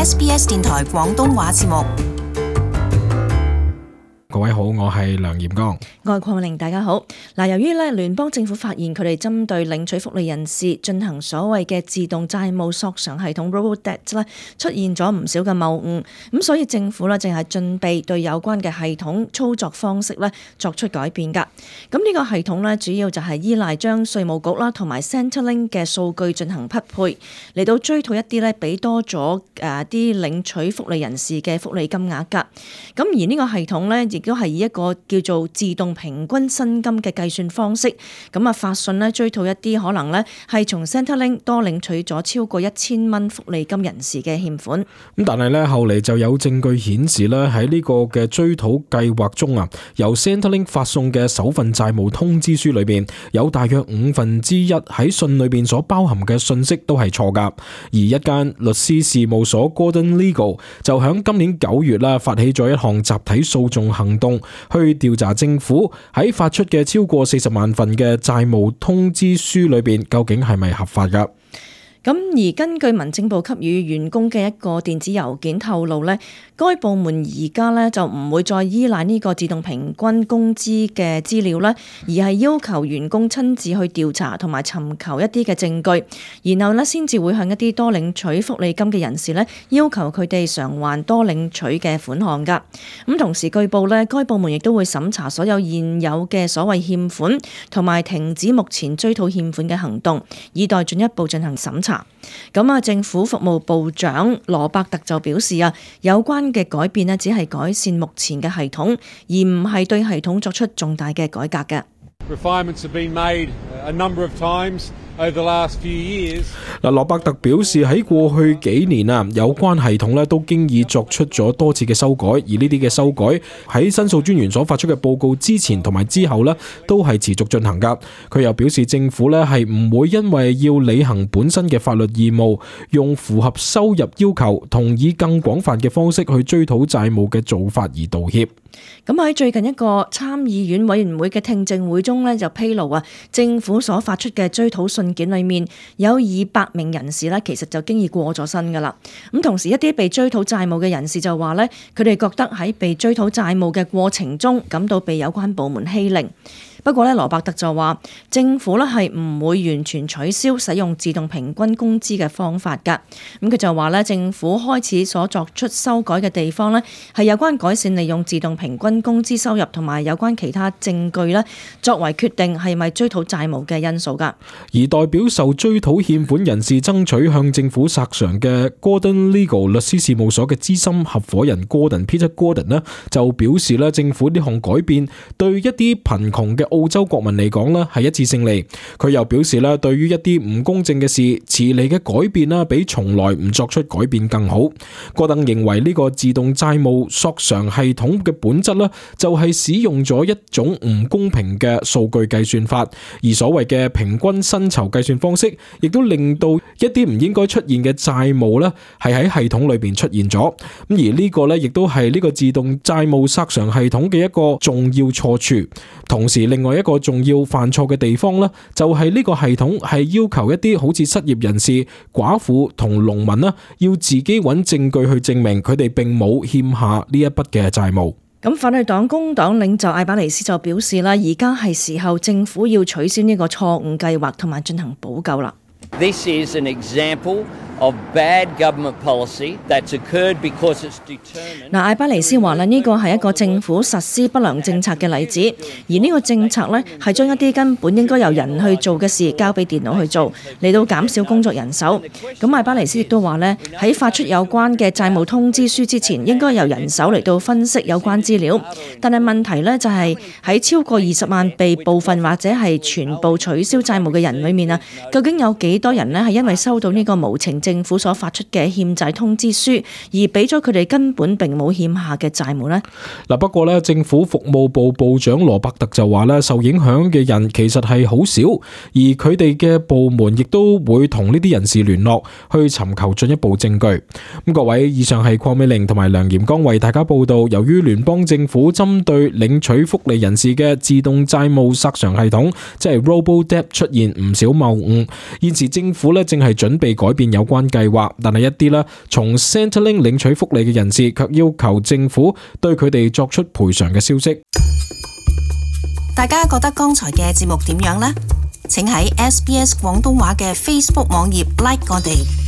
SBS 電台廣東話節目。各位好，我係梁炎剛。我係鄺美玲，大家好。由於聯邦政府發現佢哋針對領取福利人士進行所謂嘅自動債務索償系統 Robo-Debt 出現咗唔少嘅謬誤，咁所以政府正係準備對有關嘅系統操作方式作出改變㗎。咁呢個系統主要就係依賴將稅務局同埋 Centrelink 嘅數據進行匹配，嚟到追討一啲俾多咗啲領取福利人士嘅福利金額㗎。咁而呢個系統亦都係以一個叫做自動平均薪金嘅計算方式，發信追討一啲可能係從 Centrelink 多領取咗超過1000蚊福利金人士嘅欠款。咁但係後嚟就有證據顯示喺呢個嘅追討計劃中由 Centrelink 發送嘅首份債務通知書裏邊，有大約1/5喺信裏邊所包含嘅信息都係錯噶。而一間律師事務所 Gordon Legal 就響今年9月發起咗一項集體訴訟行動，去調查政府喺發出嘅超過40萬份嘅債務通知書裏邊，究竟係咪合法噶？咁而根據民政部給予員工嘅一個電子郵件透露該部門而家就唔會再依賴呢個自動平均工資嘅資料而係要求員工親自去調查同埋尋求一啲嘅證據，然後先至會向一啲多領取福利金嘅人士要求佢哋償還多領取嘅款項㗎。咁同時據報該部門亦都會審查所有現有嘅所謂欠款，同埋停止目前追討欠款嘅行動，以待進一步進行審查。政府服務部長羅伯特就表示有關嘅改變只係改善目前嘅系統，而唔係對系統作出重大嘅改革嘅。羅伯特表示喺過去幾年有關系統都經已作出咗多次嘅修改，而呢啲嘅修改喺申訴專員所發出嘅報告之前同埋之後都係持續進行噶。佢又表示政府係唔會因為要履行本身嘅法律義務，用符合收入要求同以更廣泛嘅方式去追討債務嘅做法而道歉。咁喺最近一個參議院委員會嘅聽證會中就披露政府所發出嘅追討信件裏面有200名人士其實就經已過咗身噶啦。咁同時一啲被追討債務嘅人士就話佢哋覺得喺被追討債務嘅過程中感到被有關部門欺凌。不過羅伯特就話政府係唔會完全取消使用自動平均工資嘅方法㗎。咁佢就話政府開始所作出修改嘅地方係有關改善利用自動平均工資收入同埋有關其他證據作為決定係咪追討債務嘅因素㗎。而代表受追討欠款人士爭取向政府索償嘅 Gordon Legal 律師事務所嘅資深合夥人 Peter Gordon 就表示政府呢項改變對一啲貧窮嘅澳洲國民嚟講係一次勝利。佢又表示對於一啲唔公正嘅事，遲嚟嘅改變比從來唔作出改變更好。戈登認為呢個自動債務索償系統嘅本質就係使用咗一種唔公平嘅數據計算法，而所謂嘅平均薪酬計算方式，亦都令到一啲唔應該出現嘅債務係喺系統裏邊出現咗。咁而呢個亦都係呢個自動債務索償系統嘅一個重要錯處。同時另外一個重要犯錯嘅地方就係呢個系統係要求一啲好似失業人士、寡婦同農民要自己揾證據去證明佢哋並冇欠下呢一筆嘅債務。咁反對黨工黨領袖艾巴尼斯就表示而家係時候政府要取消呢個錯誤計劃同埋進行補救啦。This is an example of bad government policy that's occurred because it's determined. 艾巴尼斯話呢個係一個政府實施不良政策嘅例子，而呢個政策係將一啲根本應該由人去做嘅事交俾電腦去做，嚟到減少工作人手。咁艾巴尼斯亦都話喺發出有關嘅債務通知書之前，應該由人手嚟到分析有關資料。但係問題就係喺超過20萬被部分或者係全部取消債務嘅人裏面究竟有幾多人係因為收到呢個無情政府所發出嘅欠債通知書，而俾咗佢哋根本並冇欠下嘅債務呢？不過政府服務部部長羅伯特就話受影響嘅人其實係好少，而佢哋嘅部門亦都會同呢啲人士聯絡，去尋求進一步證據。各位，以上係鄺美玲同埋梁炎剛為大家報道，由於聯邦政府針對領取福利人士嘅自動債務索償系統，即係 Robo-Debt 出現唔少謬誤，現時政府正係準備改變有關關計劃，但係一啲咧從 Centrelink 領取福利嘅人士卻要求政府對佢哋作出賠償嘅消息。大家覺得剛才嘅節目點樣呢？請喺SBS 廣東話嘅 Facebook 網頁 like 我哋。